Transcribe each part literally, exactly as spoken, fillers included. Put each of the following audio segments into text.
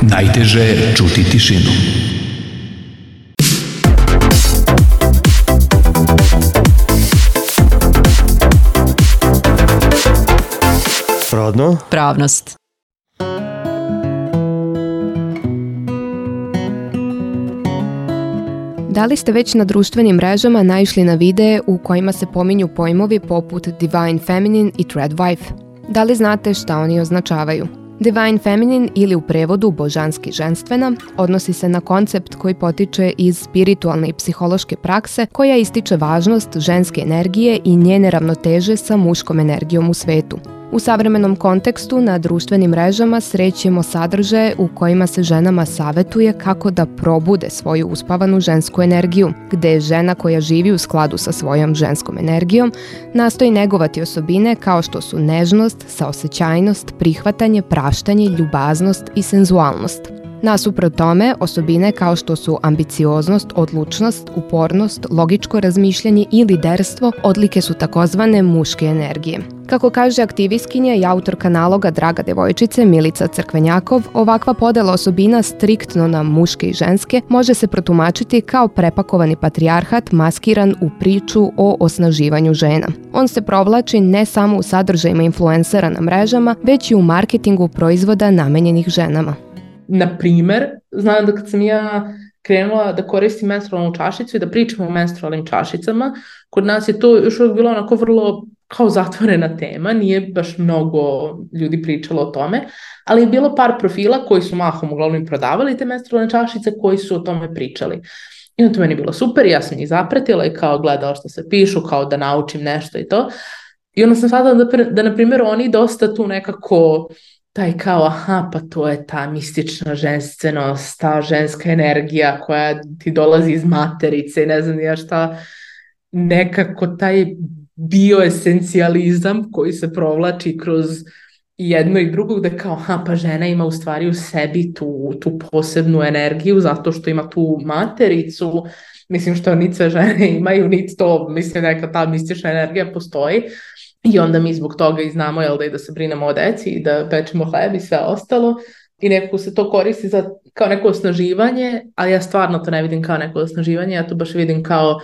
Najteže je čuti tišinu. Rodno? Pravnost. Da li ste već na društvenim mrežama naišli na videe u kojima se pominju pojmovi poput Divine Feminine i Thread Wife? Da li znate šta oni označavaju? Divine Feminine ili u prevodu božanski ženstvena odnosi se na koncept koji potiče iz spiritualne i psihološke prakse koja ističe važnost ženske energije i njene ravnoteže sa muškom energijom u svetu. U savremenom kontekstu na društvenim mrežama srećemo sadržaje u kojima se ženama savetuje kako da probude svoju uspavanu žensku energiju, gde je žena koja živi u skladu sa svojom ženskom energijom nastoji negovati osobine kao što su nežnost, saosećajnost, prihvatanje, praštanje, ljubaznost i senzualnost. Nasuprot tome, osobine kao što su ambicioznost, odlučnost, upornost, logičko razmišljanje i liderstvo odlike su takozvane muške energije. Kako kaže aktivistkinja i autorka naloga Draga devojčice Milica Crkvenjakov, ovakva podela osobina striktno na muške i ženske može se protumačiti kao prepakovani patrijarhat maskiran u priču o osnaživanju žena. On se provlači ne samo u sadržajima influencera na mrežama, već i u marketingu proizvoda namenjenih ženama. Na primer, znam da kad sam ja krenula da koristim menstrualnu čašicu i da pričam o menstrualnim čašicama, kod nas je to još uvijek bilo onako vrlo kao zatvorena tema, nije baš mnogo ljudi pričalo o tome, ali je bilo par profila koji su mahom uglavnom prodavali te menstrualne čašice koji su o tome pričali. I na to meni je bilo super, ja sam ih zapratila i kao gledala što se pišu, kao da naučim nešto i to. I onda sam shvatila da, da na primjer, oni dosta tu nekako taj kao, aha, pa to je ta mistična ženstvenost, ta ženska energija koja ti dolazi iz materice i ne znam ja šta, nekako taj bioesencijalizam koji se provlači kroz jedno i drugo, da kao, aha, pa žena ima u stvari u sebi tu, tu posebnu energiju zato što ima tu matericu, mislim što niti sve žene imaju, niti to, mislim neka ta mistična energija postoji. I onda mi zbog toga i znamo, jel, da i da se brinemo o deci i da pečemo hleb i sve ostalo. I nekako se to koristi za, kao neko osnaživanje, ali ja stvarno to ne vidim kao neko osnaživanje, ja to baš vidim kao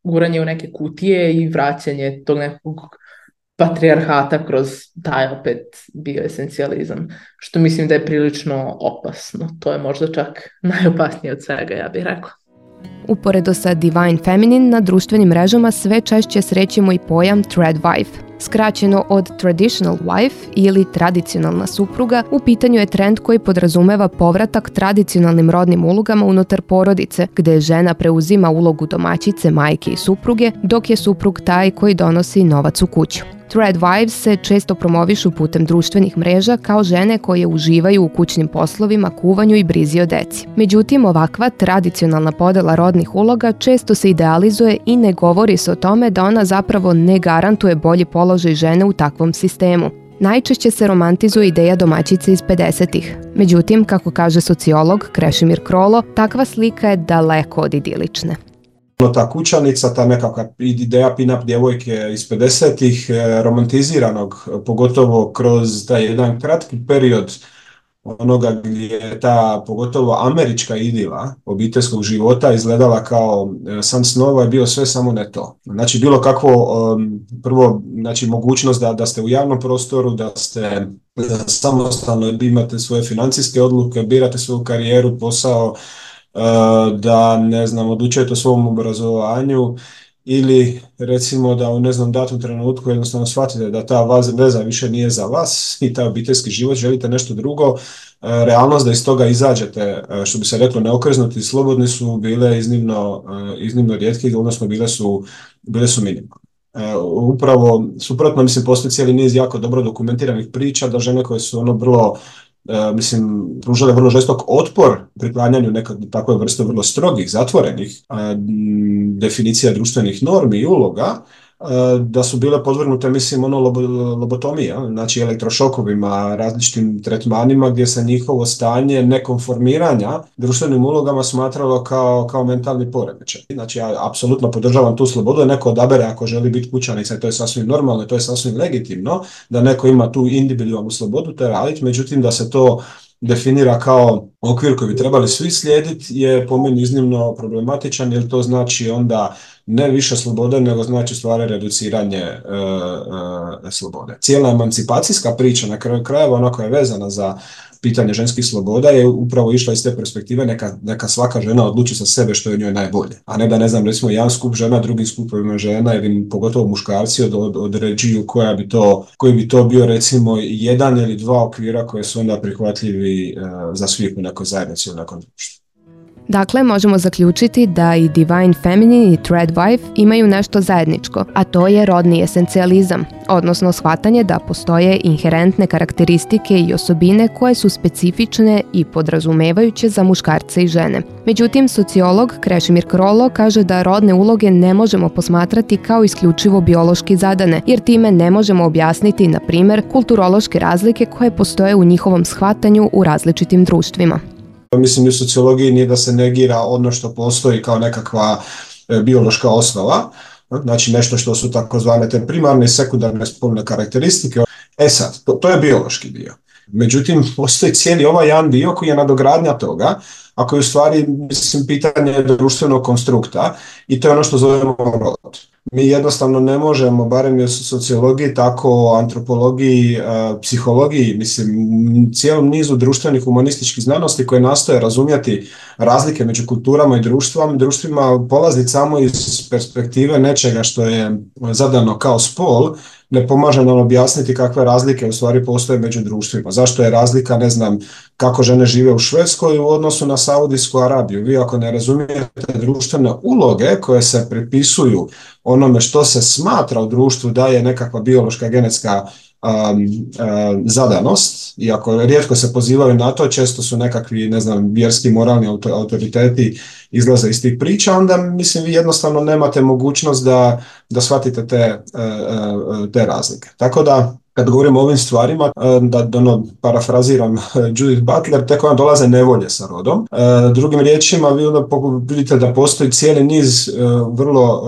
guranje u neke kutije i vraćanje tog nekog patrijarhata kroz taj opet bioesencijalizam, što mislim da je prilično opasno. To je možda čak najopasnije od svega, ja bih rekla. Uporedo sa Divine Feminine, na društvenim mrežama sve češće srećemo i pojam Thread Wife. Skraćeno od Traditional Wife ili tradicionalna supruga, u pitanju je trend koji podrazumeva povratak tradicionalnim rodnim ulogama unutar porodice, gde žena preuzima ulogu domaćice, majke i supruge, dok je suprug taj koji donosi novac u kuću. Thread Wives se često promovišu putem društvenih mreža kao žene koje uživaju u kućnim poslovima, kuvanju i brizi o deci. Međutim, ovakva tradicionalna podela rodnih uloga često se idealizuje i ne govori se o tome da ona zapravo ne garantuje bolji položaj žene u takvom sistemu. Najčešće se romantizuje ideja domaćice iz pedesetih. Međutim, kako kaže sociolog Krešimir Krolo, takva slika je daleko od idilične. Ta kućanica, ta nekakva ideja pin-up djevojke iz pedesetih, romantiziranog, pogotovo kroz taj jedan kratki period onoga gdje je ta, pogotovo američka idila obiteljskog života izgledala kao san snova, je bio sve samo ne to. Znači bilo kakvo, um, prvo, znači mogućnost da, da ste u javnom prostoru, da ste da samostalno imate svoje financijske odluke, birate svoju karijeru, posao, da, ne znam, odlučujete o svom obrazovanju ili recimo da u, ne znam, datom trenutku jednostavno shvatite da ta veza više nije za vas i taj obiteljski život, želite nešto drugo, realnost da iz toga izađete, što bi se reklo, neokrznuti i slobodni su bile iznimno, iznimno rijetki, odnosno bile su, bile su minimalne. Upravo suprotno, mislim, postoji cijeli niz jako dobro dokumentiranih priča da žene koje su ono vrlo Uh, mislim, pružale vrlo žestok otpor priklanjanju nekog takve vrste vrlo strogih, zatvorenih uh, definicija društvenih normi i uloga, uh, da su bile podvrgnute, mislim, ono lobo, lobotomija, znači elektrošokovima, različitim tretmanima gdje se njihovo stanje nekonformiranja društvenim ulogama smatralo kao, kao mentalni poremećaj. Znači, ja apsolutno podržavam tu slobodu da neko odabere ako želi biti kućanica i to je sasvim normalno i to je sasvim legitimno, da neko ima tu individualnu slobodu, to je raditi, međutim da se to definira kao okvir koji bi trebali svi slijediti je po meni iznimno problematičan, jer to znači onda ne više slobode, nego znači stvari reduciranje e, e, slobode. Cijela emancipacijska priča na kraju krajeva, ona koja je vezana za pitanje ženskih sloboda, je upravo išla iz te perspektive neka, neka svaka žena odluči za sebe što je njoj najbolje. A ne da, ne znam, recimo jedan skup žena, drugi skupovima žena ili pogotovo muškarci od, od, određuju koja bi to, koji bi to bio recimo jedan ili dva okvira koje su onda prihvatljivi uh, za svih u nekoj zajednici u nekom društvu. Dakle, možemo zaključiti da i Divine Feminine i Threadwife imaju nešto zajedničko, a to je rodni esencijalizam, odnosno shvatanje da postoje inherentne karakteristike i osobine koje su specifične i podrazumevajuće za muškarce i žene. Međutim, sociolog Krešimir Krolo kaže da rodne uloge ne možemo posmatrati kao isključivo biološki zadane, jer time ne možemo objasniti, na primjer, kulturološke razlike koje postoje u njihovom shvatanju u različitim društvima. Mislim, u sociologiji nije da se negira ono što postoji kao nekakva e, biološka osnova, znači nešto što su takozvane te primarne i sekundarne spolne karakteristike. E sad, to, to je biološki dio. Međutim, postoji cijeli ovaj jedan dio koji je nadogradnja toga, a koji je u stvari, mislim, pitanje društvenog konstrukta, i to je ono što zovemo rod. Mi jednostavno ne možemo, barem i u sociologiji, tako antropologiji, psihologiji, mislim, cijelom nizu društvenih humanističkih znanosti koje nastoje razumjeti razlike među kulturama i društvima, društvima polaziti samo iz perspektive nečega što je zadano kao spol, ne pomaže nam objasniti kakve razlike u stvari postoje među društvima. Zašto je razlika, ne znam, kako žene žive u Švedskoj u odnosu na Saudijsku Arabiju. Vi ako ne razumijete društvene uloge koje se pripisuju onome što se smatra u društvu da je nekakva biološka genetska um, um, zadanost, iako rijetko se pozivaju na to, često su nekakvi, ne znam, vjerski, moralni autoriteti izlaze iz tih priča, onda mislim vi jednostavno nemate mogućnost da, da shvatite te, te razlike. Tako da, kad govorimo o ovim stvarima, da, da ono, parafraziram Judith Butler, tek ona dolaze nevolje sa rodom. Drugim riječima, vi onda vidite da postoji cijeli niz vrlo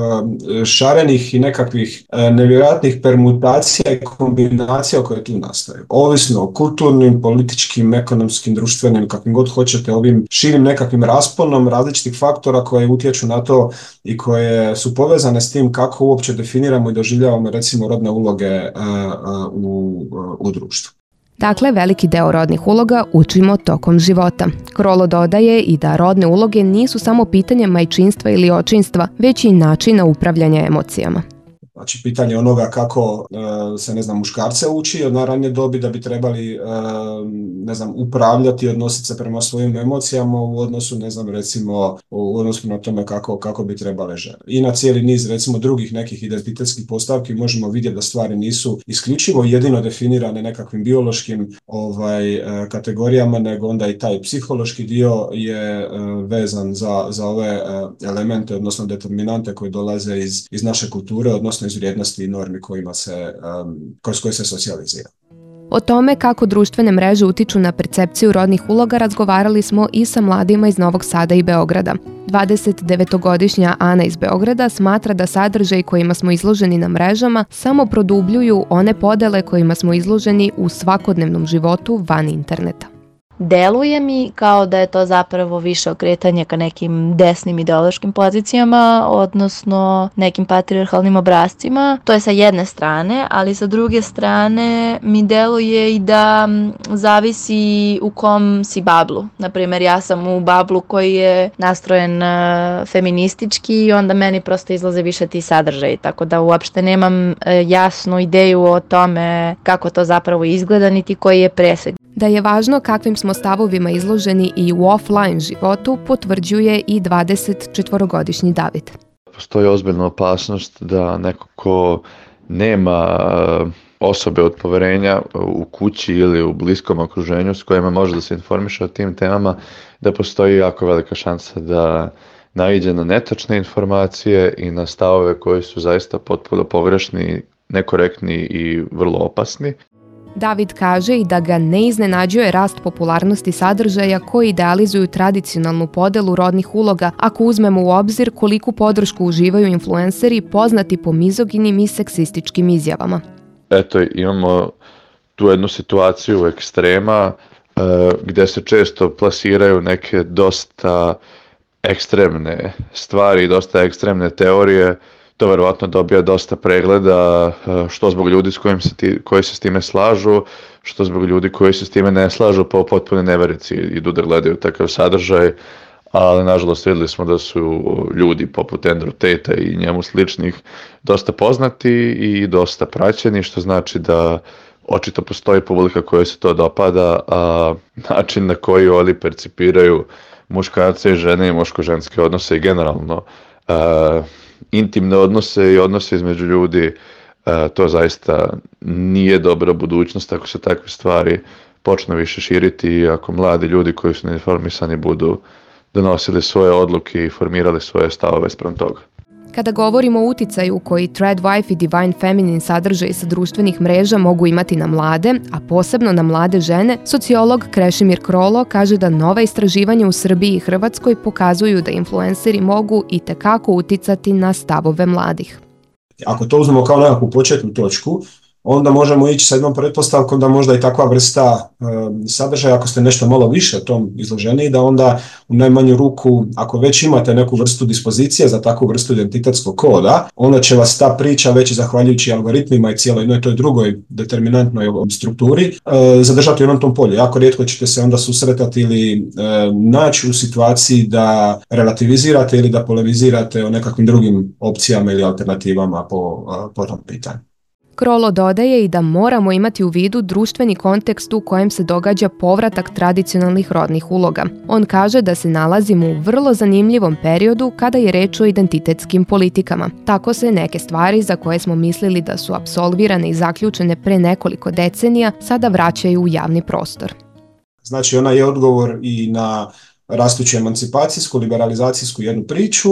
šarenih i nekakvih nevjerojatnih permutacija i kombinacija koje tu nastaju. Ovisno o kulturnim, političkim, ekonomskim, društvenim, kakvim god hoćete, ovim širim nekakvim rasponom različitih faktora koje utječu na to i koje su povezane s tim kako uopće definiramo i doživljavamo recimo rodne uloge U, u društvu. Dakle, veliki deo rodnih uloga učimo tokom života. Krolo dodaje i da rodne uloge nisu samo pitanje majčinstva ili očinstva, već i načina upravljanja emocijama. Znači, pitanje onoga kako e, se, ne znam, muškarce uči od najranije dobi da bi trebali, e, ne znam, upravljati i odnositi se prema svojim emocijama u odnosu, ne znam, recimo, u odnosu na tome kako, kako bi trebale žene. I na cijeli niz, recimo, drugih nekih identitetskih postavki možemo vidjeti da stvari nisu isključivo jedino definirane nekakvim biološkim ovaj, e, kategorijama, nego onda i taj psihološki dio je e, vezan za, za ove e, elemente, odnosno determinante koji dolaze iz, iz naše kulture, odnosno iz vrijednosti i normi kojima se, um, kroz koje se socijalizira. O tome kako društvene mreže utiču na percepciju rodnih uloga razgovarali smo i sa mladima iz Novog Sada i Beograda. dvadesetdevetogodišnja Ana iz Beograda smatra da sadržaj kojima smo izloženi na mrežama samo produbljuju one podele kojima smo izloženi u svakodnevnom životu van interneta. Deluje mi kao da je to zapravo više okretanje ka nekim desnim ideološkim pozicijama, odnosno nekim patrijarhalnim obrascima. To je sa jedne strane, ali sa druge strane mi deluje i da zavisi u kom si bablu. Naprimjer, ja sam u bablu koji je nastrojen feministički i onda meni prosto izlaze više ti sadržaji, tako da uopšte nemam jasnu ideju o tome kako to zapravo izgleda, niti koji je presek. Da je važno kakvim smo stavovima izloženi i u offline životu potvrđuje i dvadesetčetvorogodišnji David. Postoji ozbiljna opasnost da neko ko nema osobe od poverenja u kući ili u bliskom okruženju s kojima može da se informiše o tim temama, da postoji jako velika šansa da naiđe na netačne informacije i na stavove koji su zaista potpuno pogrešni, nekorektni i vrlo opasni. David kaže i da ga ne iznenađuje rast popularnosti sadržaja koji idealizuju tradicionalnu podelu rodnih uloga, ako uzmemo u obzir koliku podršku uživaju influenceri poznati po mizoginim i seksističkim izjavama. Eto, imamo tu jednu situaciju ekstrema gdje se često plasiraju neke dosta ekstremne stvari, dosta ekstremne teorije. To verovatno dobija dosta pregleda, što zbog ljudi s kojim se ti, koji se s time slažu, što zbog ljudi koji se s time ne slažu, pa u potpune neverici idu da gledaju takav sadržaj, ali nažalost vidjeli smo da su ljudi poput Andrew Tate i njemu sličnih dosta poznati i dosta praćeni, što znači da očito postoji publika kojoj se to dopada, a način na koji oni percipiraju muškarce i žene i muško-ženske odnose i generalno uh, intimne odnose i odnose između ljudi, uh, to zaista nije dobra budućnost ako se takve stvari počnu više širiti i ako mladi ljudi koji su neinformisani budu donosili svoje odluke i formirali svoje stavove spram toga. Kada govorimo o uticaju koji Threadwife i Divine Feminine sadržaj sa društvenih mreža mogu imati na mlade, a posebno na mlade žene, sociolog Krešimir Krolo kaže da nova istraživanja u Srbiji i Hrvatskoj pokazuju da influenceri mogu i tekako uticati na stavove mladih. Ako to uzmemo kao nekakvu početnu točku, onda možemo ići sa jednom pretpostavkom da možda i takva vrsta e, sadržaja, ako ste nešto malo više tom izloženi, da onda u najmanju ruku, ako već imate neku vrstu dispozicije za takvu vrstu identitetskog koda, onda će vas ta priča već zahvaljujući algoritmima i cijeloj jednoj toj drugoj determinantnoj strukturi e, zadržati u onom tom polju. Jako rijetko ćete se onda susretati ili e, naći u situaciji da relativizirate ili da polemizirate o nekakvim drugim opcijama ili alternativama po, po tom pitanju. Krolo dodaje i da moramo imati u vidu društveni kontekst u kojem se događa povratak tradicionalnih rodnih uloga. On kaže da se nalazimo u vrlo zanimljivom periodu kada je reč o identitetskim politikama. Tako se neke stvari za koje smo mislili da su apsolvirane i zaključene pre nekoliko decenija sada vraćaju u javni prostor. Znači ona je odgovor i na rastuću emancipacijsku, liberalizacijsku jednu priču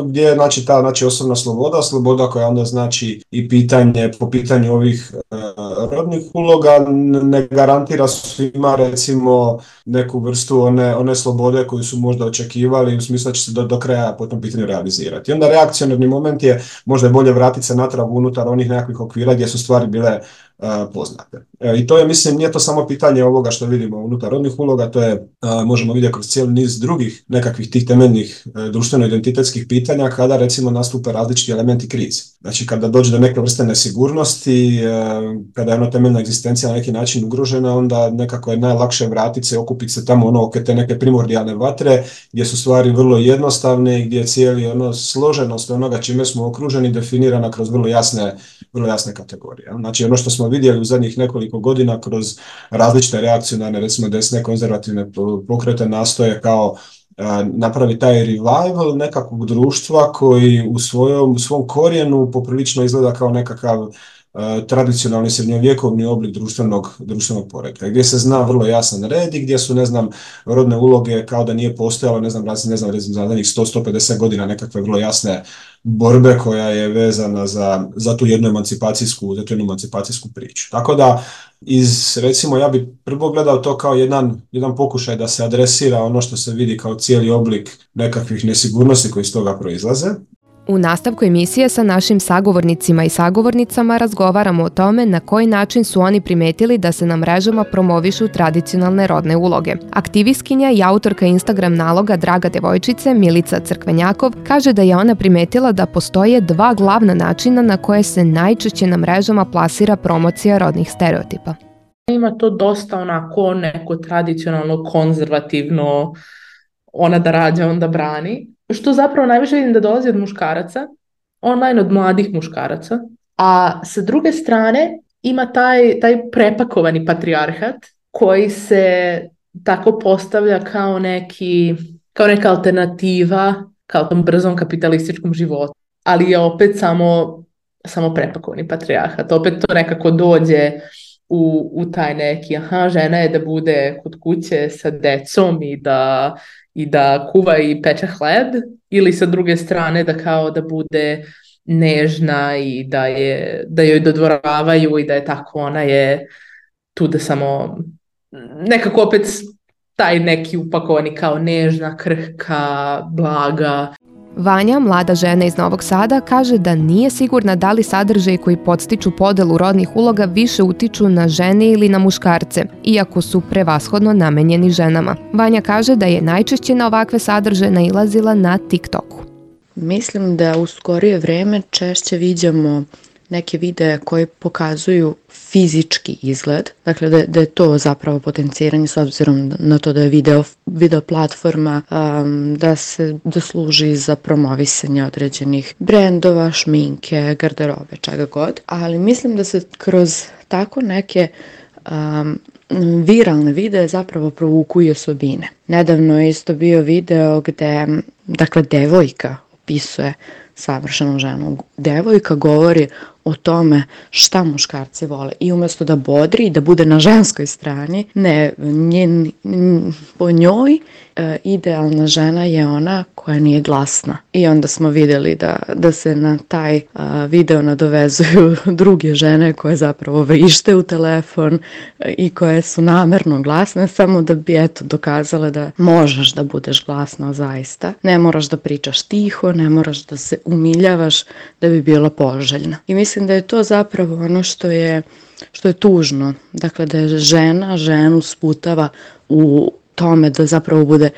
gdje je znači, ta znači, osobna sloboda, sloboda koja onda znači i pitanje, po pitanju ovih uh, rodnih uloga ne garantira svima recimo neku vrstu one, one slobode koju su možda očekivali u smislu da će se do, do kraja po tom pitanju realizirati. I onda reakcionarni moment je možda je bolje vratiti se natrag unutar onih nekakvih okvira gdje su stvari bile Uh, poznate. E, I to je, mislim, nije to samo pitanje ovoga što vidimo unutar rodnih uloga, to je, uh, možemo vidjeti kroz cijeli niz drugih nekakvih tih temeljnih uh, društveno-identitetskih pitanja kada recimo nastupe različiti elementi krize. Znači kada dođe do neke vrste nesigurnosti, uh, kada je ona temeljna egzistencija na neki način ugrožena, onda nekako je najlakše vratiti se, okupiti se tamo ono oko te neke primordijalne vatre gdje su stvari vrlo jednostavne i gdje je cijeli ono složenost onoga čime smo okruženi definirana kroz vrlo jasne, vrlo jasne kategorije. Znači ono što smo vidjeli u zadnjih nekoliko godina kroz različite reakcionarne, recimo desne konzervativne pokrete nastoje kao napravi taj revival nekakvog društva koji u svojom, u svom korijenu poprilično izgleda kao nekakav uh, tradicionalni srednjovjekovni oblik društvenog, društvenog poretka, gdje se zna vrlo jasan red i gdje su, ne znam, rodne uloge kao da nije postojalo, ne znam, ne znam, ne znam, za zadnjih sto do sto pedeset godina nekakve vrlo jasne borbe koja je vezana za, za tu jednu emancipacijsku, za tu jednu emancipacijsku priču. Tako da, iz, recimo, ja bih prvo gledao to kao jedan, jedan pokušaj da se adresira ono što se vidi kao cijeli oblik nekakvih nesigurnosti koji iz toga proizlaze. U nastavku emisije sa našim sagovornicima i sagovornicama razgovaramo o tome na koji način su oni primetili da se na mrežama promovišu tradicionalne rodne uloge. Aktivistkinja i autorka Instagram naloga Draga devojčice Milica Crkvenjakov kaže da je ona primetila da postoje dva glavna načina na koje se najčešće na mrežama plasira promocija rodnih stereotipa. Ima to dosta onako neko tradicionalno, konzervativno, ona da rađa, onda brani. Što zapravo najviše vidim da dolazi od muškaraca, online od mladih muškaraca, a sa druge strane ima taj, taj prepakovani patrijarhat koji se tako postavlja kao, neki, kao neka alternativa kao tom brzom kapitalističkom životu, ali je opet samo, samo prepakovani patrijarhat, opet to nekako dođe u, u taj neki, aha, žena je da bude kod kuće sa decom i da i da kuva i peče hleb, ili sa druge strane da kao da bude nežna i da, je, da joj dodvoravaju i da je tako, ona je tu da samo nekako opet taj neki upakovani kao nežna, krhka, blaga. Vanja, mlada žena iz Novog Sada, kaže da nije sigurna da li sadržaji koji podstiču podelu rodnih uloga više utiču na žene ili na muškarce, iako su prevashodno namenjeni ženama. Vanja kaže da je najčešće na ovakve sadržaje nailazila na TikToku. Mislim da u skorije vreme češće viđamo neke videe koji pokazuju fizički izgled, dakle da, da je to zapravo potenciranje s obzirom na to da je video, video platforma, um, da se da služi za promovisanje određenih brendova, šminke, garderobe, čega god, ali mislim da se kroz tako neke um, viralne videe zapravo provuku i osobine. Nedavno je isto bio video gde, dakle, devojka opisuje savršenu ženu. Devojka govori o tome šta muškarci vole i umjesto da bodri i da bude na ženskoj strani, ne, njen, po njoj e, idealna žena je ona koja nije glasna. I onda smo vidjeli da, da se na taj a, video nadovezuju druge žene koje zapravo vrište u telefon a, i koje su namerno glasne samo da bi eto dokazale da možeš da budeš glasna zaista. Ne moraš da pričaš tiho, ne moraš da se umiljavaš da bi bila poželjna. I mislim da je to zapravo ono što je, što je tužno. Dakle, da je žena ženu sputava u tome da zapravo bude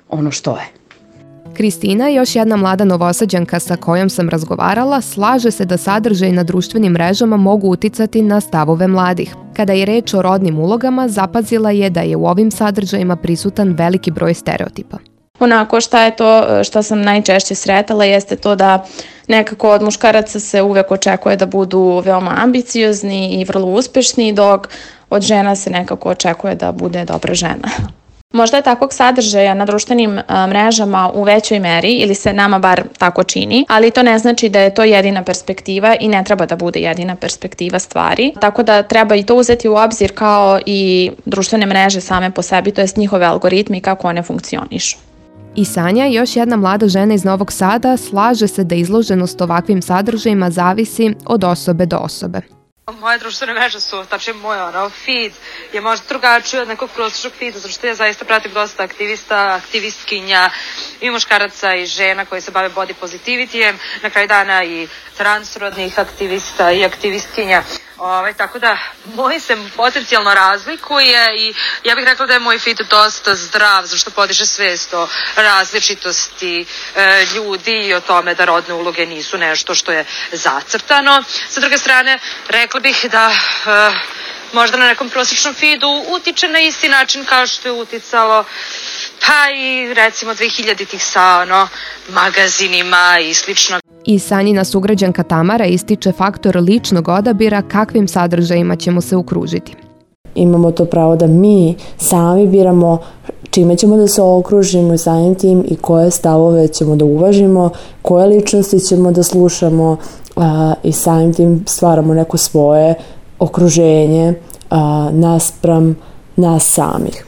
ono što je. Kristina, još jedna mlada Novosađanka sa kojom sam razgovarala, slaže se da sadržaji na društvenim mrežama mogu uticati na stavove mladih. Kada je reč o rodnim ulogama, zapazila je da je u ovim sadržajima prisutan veliki broj stereotipa. Onako šta je to što sam najčešće sretala jeste to da nekako od muškaraca se uvek očekuje da budu veoma ambiciozni i vrlo uspešni, dok od žena se nekako očekuje da bude dobra žena. Možda je takvog sadržaja na društvenim mrežama u većoj meri ili se nama bar tako čini, ali to ne znači da je to jedina perspektiva i ne treba da bude jedina perspektiva stvari. Tako da treba i to uzeti u obzir kao i društvene mreže same po sebi, to jest njihove algoritmi i kako one funkcionišu. I Sanja, još jedna mlada žena iz Novog Sada, slaže se da izloženost ovakvim sadržajima zavisi od osobe do osobe. Moje društvene mreže su, tačnije moj ono, feed je možda drugačiji od nekog prosječnog feeda, zato što ja zaista pratim dosta aktivista, aktivistkinja i muškaraca i žena koji se bave body positivitijem, na kraju dana i transrodnih aktivista i aktivistkinja. Ove, tako da, moj se potencijalno razlikuje i ja bih rekla da je moj feed dosta zdrav, zašto podiže svest o različitosti e, ljudi i o tome da rodne uloge nisu nešto što je zacrtano. Sa druge strane, rekla bih da e, možda na nekom prosječnom feedu utiče na isti način kao što je uticalo pa i recimo dvehiljaditih sa ono, magazinima i slično. I Sanjina sugrađanka Tamara ističe faktor ličnog odabira kakvim sadržajima ćemo se okružiti. Imamo to pravo da mi sami biramo čime ćemo da se okružimo i samim tim i koje stavove ćemo da uvažimo, koje ličnosti ćemo da slušamo a, i samim tim stvaramo neko svoje okruženje a, naspram nas samih.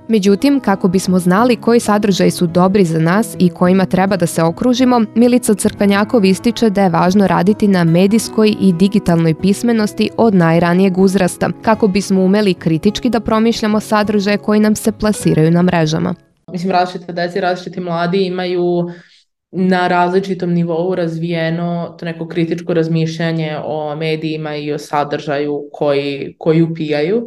Međutim, kako bismo znali koji sadržaji su dobri za nas i kojima treba da se okružimo, Milica Crkvenjakov ističe da je važno raditi na medijskoj i digitalnoj pismenosti od najranijeg uzrasta, kako bismo umeli kritički da promišljamo sadržaje koji nam se plasiraju na mrežama. Mislim, različite deci, različiti mladi imaju na različitom nivou razvijeno to neko kritičko razmišljanje o medijima i o sadržaju koji, koji upijaju,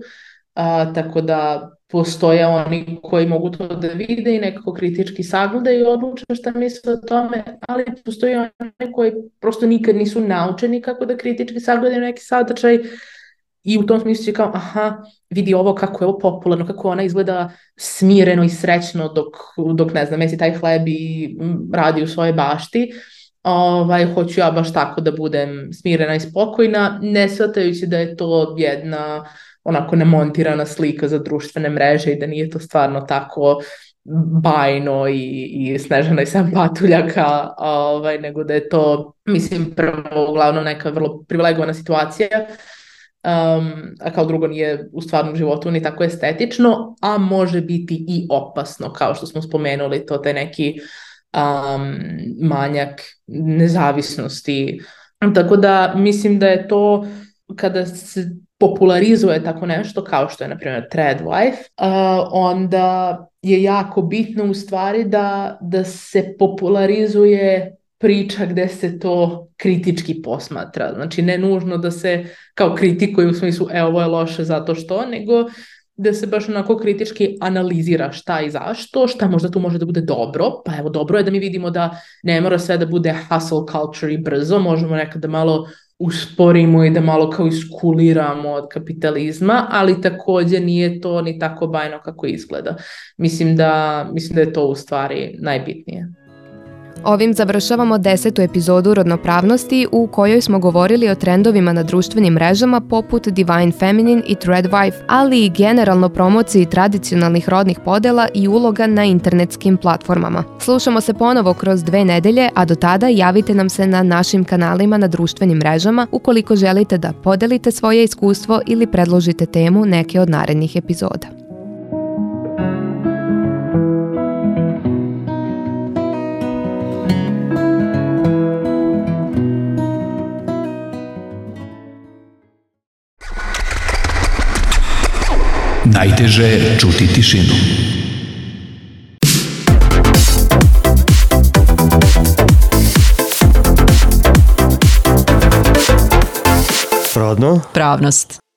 a, tako da postoje oni koji mogu to da vide i nekako kritički sagledaju i odluče šta misle o tome, ali postoji oni koji prosto nikad nisu naučeni kako da kritički sagledaju neki sadržaj i u tom smislu će kao, aha, vidi ovo kako je ovo popularno, kako ona izgleda smireno i srećno dok, dok ne znam, mesi taj hleb i radi u svojoj bašti. Ovaj, hoću ja baš tako da budem smirena i spokojna, ne shvatajući da je to jedna onako nemontirana slika za društvene mreže i da nije to stvarno tako bajno i, i Snežana i sedam patuljaka, ovaj, nego da je to, mislim, prvo uglavnom neka vrlo privilegovana situacija, um, a kao drugo nije u stvarnom životu ni tako estetično, a može biti i opasno, kao što smo spomenuli, to taj neki um, manjak nezavisnosti. Tako da mislim da je to kada se popularizuje tako nešto, kao što je, na primjer, Threadwife, uh, onda je jako bitno u stvari da, da se popularizuje priča gde se to kritički posmatra. Znači, ne nužno da se kao kritikuje u smislu, e, ovo je loše zato što, nego da se baš onako kritički analizira šta i zašto, šta možda tu može da bude dobro. Pa evo, dobro je da mi vidimo da ne mora sve da bude hustle culture i brzo, možemo nekada malo usporimo i da malo kao iskuliramo od kapitalizma, ali također nije to ni tako bajno kako izgleda. Mislim da, mislim da je to u stvari najbitnije. Ovim završavamo desetu epizodu Rodnopravnosti u kojoj smo govorili o trendovima na društvenim mrežama poput Divine Feminine i Threadwife, ali i generalno promociji tradicionalnih rodnih podela i uloga na internetskim platformama. Slušamo se ponovo kroz dve nedelje, a do tada javite nam se na našim kanalima na društvenim mrežama ukoliko želite da podelite svoje iskustvo ili predložite temu neke od narednih epizoda. Najteže je čuti tišinu. Rodno? Pravnost.